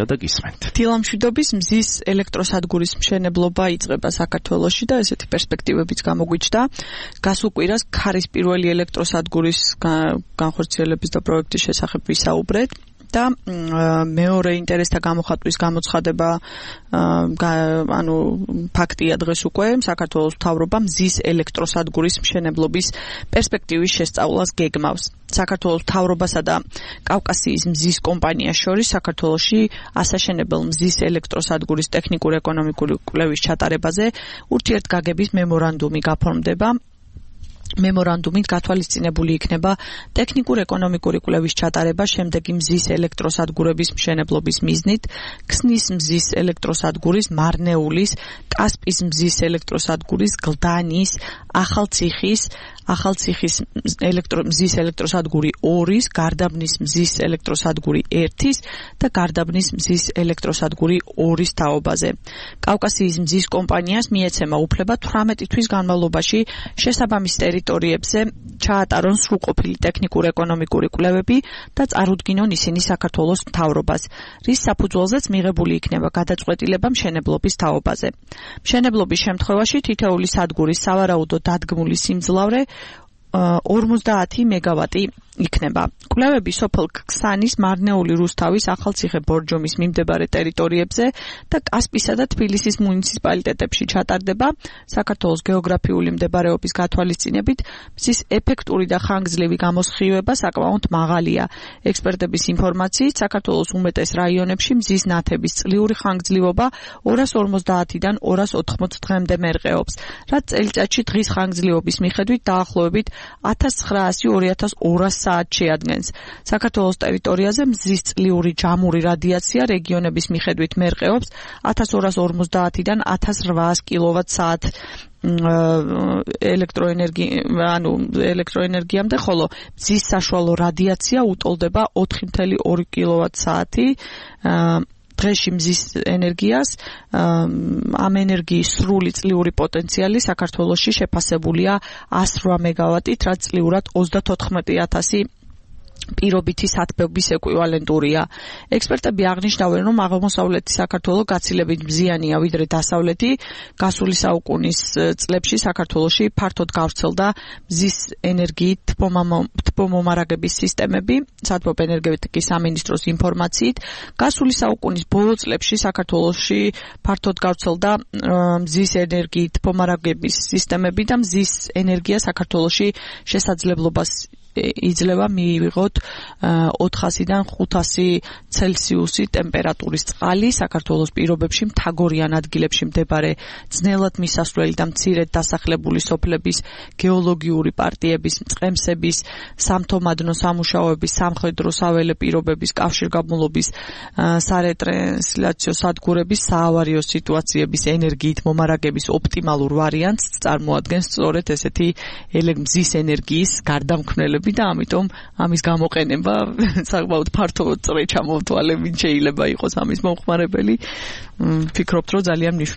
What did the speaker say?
და გისმენთ. დილამშვიდობის მზის ელექტროსადგურის მშენებლობა იწყება საქართველოში და ესეთი პერსპექტივებიც გამოგვიჩნდა. გასულ კვირას ქარის პირველი ელექტროსადგურის განხორციელების და პროექტის შესახებ ვისაუბრეთ. და მეორე ინტერესთა გამოხატვის გამოცხადება ფაქტია დღეს უკვე საქართველოს მთავრობა მზის ელექტროსადგურის მშენებლობის პერსპექტივის შესწავლას გეგმავს. საქართველოს მთავრობასა და კავკასიის მზის კომპანიას შორის საქართველოში ასაშენებელ მზის ელექტროსადგურის ტექნიკურ-ეკონომიკური კვლევის ჩატარებაზე ურთიერთგაგების მემორანდუმი გაფორმდება. მემორანდუმით გათვალისწინებული იქნება ტექნიკურ-ეკონომიკური კვლევის ჩატარება შემდეგი მზის ელექტროსადგურების მშენებლობის მიზნით: ქსნის მზის ელექტროსადგურის, მარნეულის, კასპის მზის ელექტროსადგურის, გლდანის, ახალციხის მზის ელექტროსადგური 2-ის, გარდაბნის მზის ელექტროსადგური 1-ის და გარდაბნის მზის ელექტროსადგური 2-ის თაობაზე. კავკასიის მზის კომპანიას მიეცემა უფლება 18 თვის განმავლობაში შესაბამის ტერიტორიებზე ჩაატარონ სრულყოფილი ტექნიკურ-ეკონომიკური კვლევები და წარუდგინონ ისინი საქართველოს მთავრობას, რის საფუძველზეც მიღებული იქნება გადაწყვეტილება მშენებლობის თაობაზე. მშენებლობის შემთხვევაში თითოეული სადგურის სავარაუდო დადგმული სიმძლავრე 50 მეგავატი იქნება. კვლევები სოფელ ქსანის, მარნეული, რუსთავის, ახალციხე, ბორჯომის მიმდებარე ტერიტორიებზე და კასპისა და თბილისის მუნიციპალიტეტებში ჩატარდება. საქართველოს გეოგრაფიული მდებარეობის გათვალისწინებით მზის ეფექტური და ხანგრძლივი გამოსხივება საკმაოდ მაღალია. ექსპერტების ინფორმაციით, საქართველოს უმეტეს რაიონებში მზის ნათების წლიური ხანგრძლივობა 250-დან 280 დღემდე მერყეობს, რაც წელიწადში დღის ხანგრძლივობის მიხედვით დაახლოებით 1900-2200 საათს შეადგენს. საქართველოს ტერიტორიაზე მზის წლიური ჯამური რადიაცია რეგიონების მიხედვით მერყეობს 1250-დან 1800 კილოვატ-საათ ელექტროენერგიამდე, ხოლო მზის საშუალო რადიაცია უტოლდება 4.2 კილოვატ-საათი. დღეში მზის ენერგიას ამ ენერგიის სრული წლიური პოტენციალი საქართველოში შეფასებულია 108 მეგავატით, რაც წლიურად 34,000 პირობითი სათბობის ეკვივალენტურია. ექსპერტები აღნიშნავენ, რომ აღმოსავლეთი საქართველო გაცილებით მზიანია ვიდრე დასავლეთი. გასული საუკუნის წლებში საქართველოში ფართოდ გავრცელდა მზის ენერგიით თბომომარაგების სისტემები. სათბობ ენერგეტიკის სამინისტროს ინფორმაციით, გასული საუკუნის ბოლო წლებში საქართველოში ფართოდ გავრცელდა მზის ენერგიით თბომარაგების სისტემები და მზის ენერგია საქართველოში შესაძლებლობას იძლევა მიიღოთ 400-დან 500 ცელსიუსი ტემპერატურის წყალი საქართველოს პირობებში მთაგორიან ადგილებში მდებარე ძნელად მისასვლელი და მცირედ დასახლებული სოფლების გეოლოგიური პარტიების, მწყემსების, სამთო-მადნო სამუშაოების, სამხედრო საველე პირობების, კავშირგაბმულობის, სარეტრანსლაციო სადგურების, საავარიო სიტუაციების ენერგიით მომარაგების ოპტიმალურ ვარიანტს წარმოადგენს სწორედ ესეთი მზის ენერგიის გარდამქმნელები და ამიტომ ამის გამოყენება საკმაოდ ფართო წრე ჩამოვთვალე, ვინ შეიძლება იყოს ამის მომხმარებელი. ვფიქრობთ, რომ ძალიან მნიშვნელოვანია.